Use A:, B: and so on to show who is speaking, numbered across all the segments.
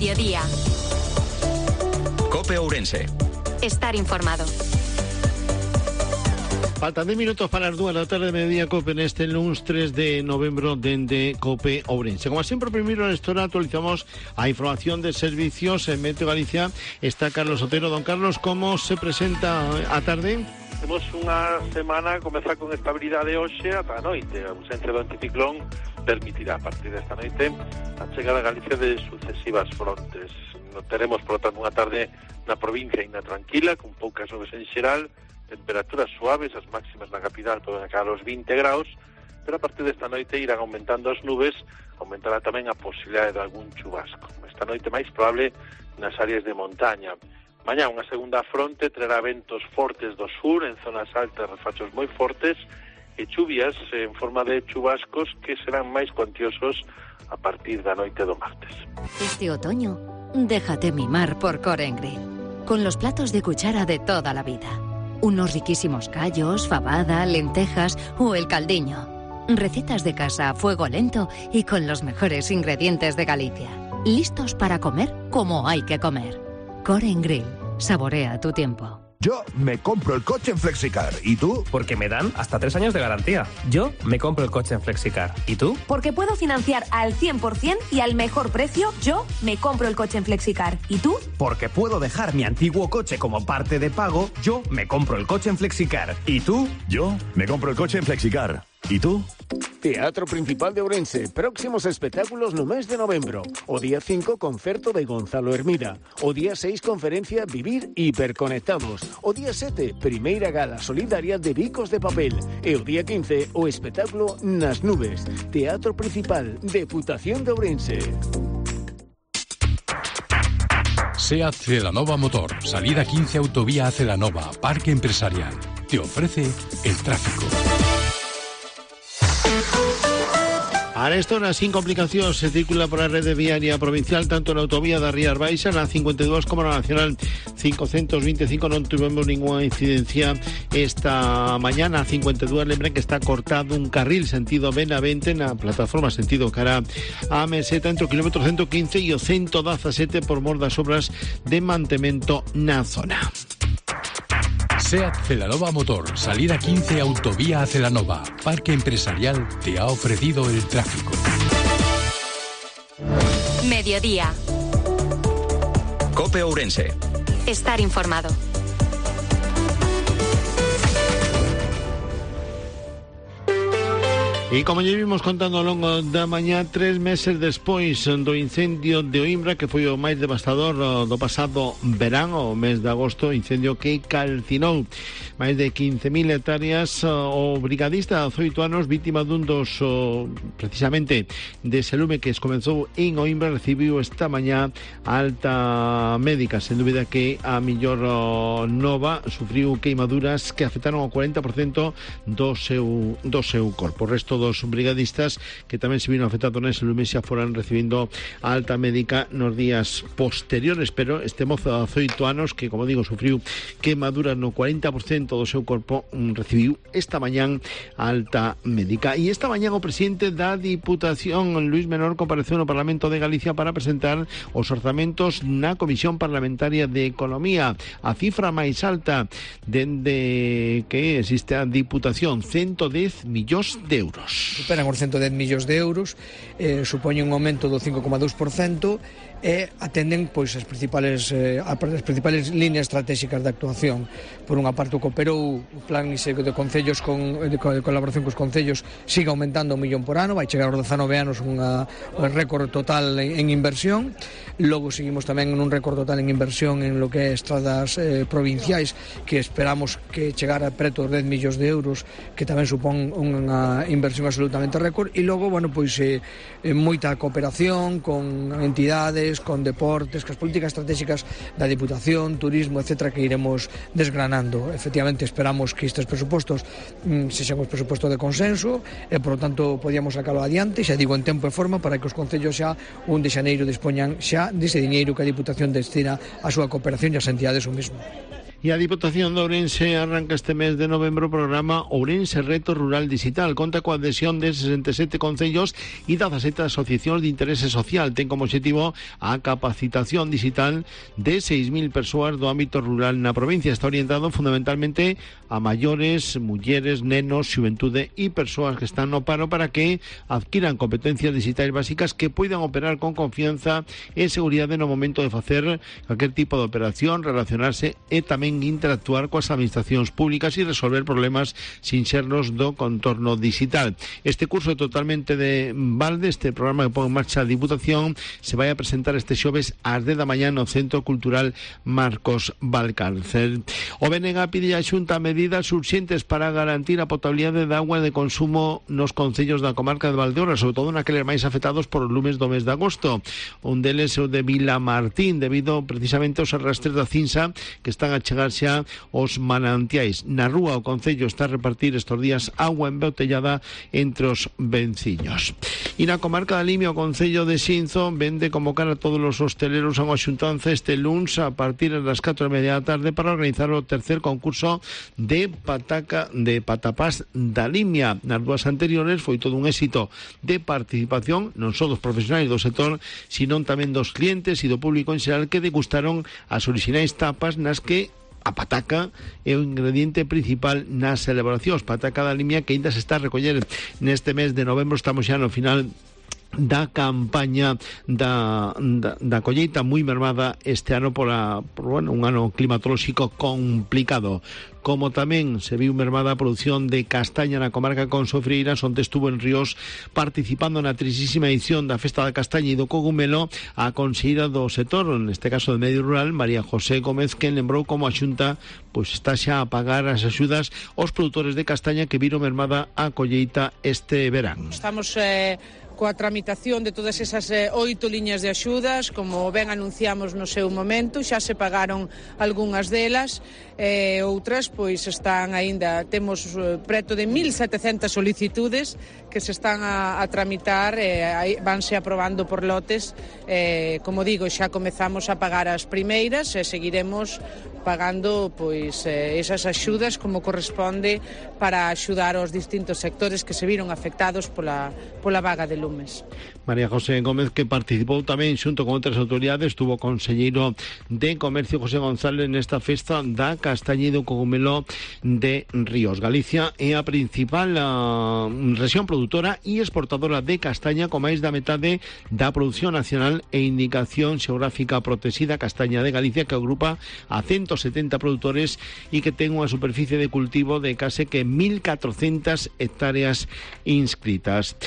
A: Mediodía.
B: COPE Ourense.
A: Estar informado.
C: Faltan 10 minutos para las 2 da tarde, mediodía COPE neste lunes 3 de novembro dende COPE Ourense. Como sempre, primeiro nesta hora actualizamos a información de servicios en Meteo Galicia. Está Carlos Otero. Don Carlos, como se presenta a tarde?
D: Temos unha semana a comezar con estabilidade hoxe ata a noite. A ausencia do anticiclón permitirá a partir desta noite a chegada a Galicia de sucesivas frontes. Teremos, por lo tanto, unha tarde na provincia ainda tranquila, con poucas nubes en xeral, temperaturas suaves, as máximas na capital poden chegar aos 20 graus, pero a partir desta noite irán aumentando as nubes, aumentará tamén a posibilidade de algún chubasco. Esta noite máis probable nas áreas de montaña. Mañá unha segunda fronte trará ventos fortes do sur, en zonas altas refachos moi fortes, e chuvias en forma de chubascos que serán máis cuantiosos a partir da noite do martes.
E: Este otoño, déjate mimar por Core & Grill, con los platos de cuchara de toda la vida. Unos riquísimos callos, fabada, lentejas o el caldiño. Recetas de casa a fuego lento y con los mejores ingredientes de Galicia. Listos para comer como hay que comer. Core & Grill. Saborea tu tiempo.
F: Yo me compro el coche en Flexicar. ¿Y tú?
G: Porque me dan hasta 3 años de garantía. Yo me compro el coche en Flexicar. ¿Y tú?
H: Porque puedo financiar al 100% y al mejor precio. Yo me compro el coche en Flexicar. ¿Y tú?
I: Porque puedo dejar mi antiguo coche como parte de pago. Yo me compro el coche en Flexicar. ¿Y tú?
F: Yo me compro el coche en Flexicar. ¿Y tú?
J: Teatro Principal de Ourense. Próximos espectáculos no mes de novembro. O día 5, concerto de Gonzalo Hermida. O día 6, conferencia Vivir Hiperconectados. O día 7, primeira gala solidaria de Bicos de Papel. E o día 15, o espectáculo Nas Nubes. Teatro Principal, Deputación de Ourense.
K: SEAT Celanova Motor, salida 15 Autovía a Celanova, Parque Empresarial. Te ofrece el tráfico.
C: A esta hora, sin complicacións, se circula por a rede viaria provincial tanto na autovía da Rías Baixas, na 52, como na Nacional 525. Non tivemos ninguna incidencia esta mañana. A 52, lembren que está cortado un carril sentido Benavente na plataforma sentido cara a Meseta entre o kilómetro 115 e o 117 por mor das obras de mantemento na zona.
K: SEAT Celanova Motor, salida 15 Autovía a Celanova, Parque Empresarial te ha ofrecido el tráfico.
A: Mediodía.
B: COPE Ourense.
A: Estar informado.
C: E como lle vimos contando ao longo da mañá, 3 meses despois do incendio de Oimbra, que foi o máis devastador do pasado verán, o mes de agosto, incendio que calcinou máis de 15.000 hectáreas, o brigadista de 18 anos, vítima dun dos, precisamente, dese lume que comenzou en Oimbra, recibiu esta mañá alta médica. Sen dúbida que a millor nova sufriu queimaduras que afectaron ao 40% do seu corpo. O resto dos brigadistas que tamén se viron afectados nese lume xa foran recibindo a alta médica nos días posteriores, pero este mozo de 18 anos que, como digo, sufriu queimaduras no 40% do seu corpo, recibiu esta mañán a alta médica. E esta mañán o presidente da Diputación, Luis Menor, compareceu no Parlamento de Galicia para presentar os orzamentos na Comisión Parlamentaria de Economía. A cifra máis alta dende que existe a Diputación, 110 millóns de euros.
L: Superan os 110 millóns de euros, supoñen un aumento do 5,2% e atenden pois as principales líneas estratégicas de actuación. Por unha parte, o cooperou o plan de concellos de colaboración cos concellos sigue aumentando 1 millón por ano, vai chegar aos 19 anos un récord total en inversión. Logo seguimos tamén en un récord total en inversión en lo que é estradas provinciais, que esperamos que chegar a preto dos 10 millóns de euros, que tamén supón unha inversión absolutamente récord. E logo, bueno, pois moita cooperación con entidades, con deportes, con as políticas estratégicas da Diputación, turismo, etcétera, que iremos desgranando. Efectivamente, esperamos que estes presupostos sexan os presupostos de consenso e, por lo tanto, podíamos sacalo adiante, xa digo, en tempo e forma, para que os concellos xa 1 de xaneiro dispoñan xa dese diñeiro que a Diputación destina a súa cooperación e as entidades o mesmo.
C: E a Diputación de Ourense arranca este mes de novembro o programa Ourense Reto Rural Digital. Conta coa adhesión de 67 concellos e 17 asociacións de interese social. Ten como objetivo a capacitación digital de 6.000 persoas do ámbito rural na provincia. Está orientado fundamentalmente a maiores, mulleres, nenos, xuventude e persoas que están no paro para que adquiran competencias digitais básicas que poidan operar con confianza e seguridade no momento de facer calquer tipo de operación, relacionarse e tamén interactuar coas administracións públicas e resolver problemas sinxernos do contorno digital. Este curso é totalmente de balde. Este programa que pon en marcha a Diputación se vai a presentar este xoves ás 10 da mañá no Centro Cultural Marcos Valcárcel. O BNG pide a Xunta medidas urxentes para garantir a potabilidade de agua de consumo nos concellos da comarca de Valdeorras, sobre todo naqueles máis afectados por os lumes do mes de agosto. Un deles é o de Vilamartín, debido precisamente aos arrastres da cinza que están a chegar xa os manantiais. Na rúa o concello está a repartir estes días agua embotellada entre os venciños. E na comarca da Limia o concello de Xinzo vende convocar a todos os hosteleros a unha xuntanza este luns a partir das 4:30 da tarde para organizar o tercer concurso de patapás da Limia. Nas dúas anteriores foi todo un éxito de participación non só dos profesionais do sector, sino tamén dos clientes e do público en xeral que degustaron as orixinais tapas nas que a pataca é o ingrediente principal nas celebracións. Pataca da Limia que ainda se está a recoller neste mes de novembro. Estamos xa no final da campaña da colleita, moi mermada este ano por un ano climatolóxico complicado. Como tamén se viu mermada a produción de castaña na comarca con Sofreiras, onde estuvo en Ríos participando na 30ª edición da Festa da Castaña e do Cogumelo a conselleira do sector, neste caso de Medio Rural, María José Gómez, que lembrou como a Xunta está xa a pagar as axudas aos produtores de castaña que viron mermada a colleita este verán.
B: Estamos coa tramitación de todas esas 8 liñas de axudas, como ben anunciamos no seu momento, xa se pagaron algunhas delas, outras pois están aínda, temos preto de 1.700 solicitudes que se están a tramitar, vanse aprobando por lotes. Como digo, xa comezamos a pagar as primeiras e seguiremos pagando pois esas axudas como corresponde para axudar aos distintos sectores que se viron afectados pola vaga de lumes.
C: María José Gómez, que participou tamén xunto con outras autoridades, estuvo conselleiro de Comercio José González nesta festa da castaña e do cogumelo de Ríos. Galicia é a principal rexión produtora e exportadora de castaña, con máis da metade da produción nacional e indicación xeográfica protexida. Castaña de Galicia, que agrupa a 170 produtores e que ten unha superficie de cultivo de case que 1.400 hectáreas inscritas.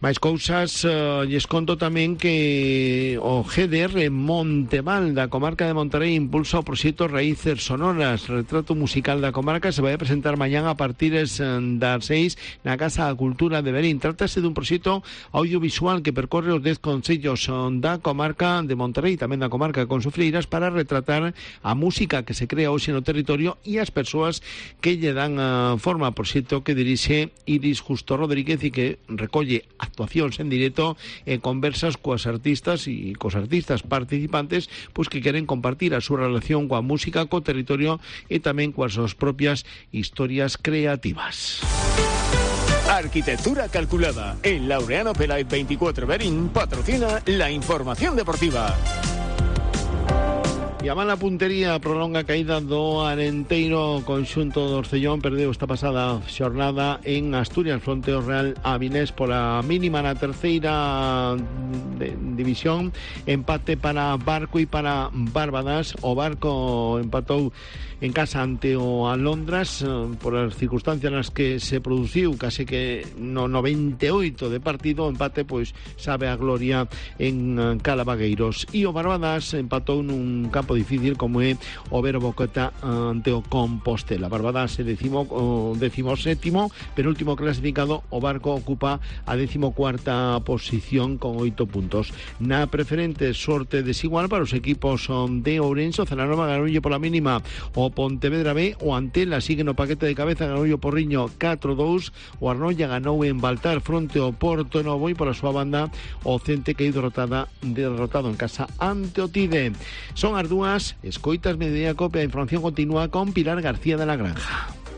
C: Máis cousas, lles conto tamén que o GDR Monteval da comarca de Monterrey impulsa o proxecto Raíces Sonoras. Retrato musical da comarca se vai a presentar mañán a partir das 6 na Casa da Cultura de Berín. Trátase dun proxecto audiovisual que percorre os 10 concellos da comarca de Monterrey, tamén da comarca con Sofreiras, para retratar a música que se crea hoxe no territorio e as persoas que lle dan forma. Proxecto que dirixe Iris Justo Rodríguez e que recolle actuacións en directo e conversas coas artistas e cos artistas participantes que queren compartir a súa relación coa música, co territorio e tamén coas súas propias historias creativas.
J: Arquitectura calculada. El Laureano Pelay 24 Berín patrocina la información deportiva.
C: E a mala puntería prolonga a caída do Arenteiro. Conxunto do Orcellón perdeu esta pasada xornada en Asturias fronte ao Real Avilés pola mínima na terceira división. Empate para Barco e para Barbadas. O Barco empatou en casa ante o Alondras por as circunstancias nas que se produciu case que no 98 de partido. O empate sabe a gloria en Calavagueiros. E o Barbadas empatou nun campo difícil como é o Vero Boqueta ante o Compostela. Barbadas é 17º, penúltimo clasificado. O Barco ocupa a 14ª posición con 8 puntos. Na preferente, sorte desigual para os equipos de Ourense. O Celanova ganoulle pola mínima o Pontevedra B. O Antela sigue no paquete de cabeza, ganoulle o Porriño 4-2. O Arnoia ganou en Baltar fronte ao Porto Novo e pola súa banda o Cente que é derrotado en casa ante o Tide. Son as 2 continúas, escoitas Mediodía Cope, a información continúa con Pilar García de la Granja.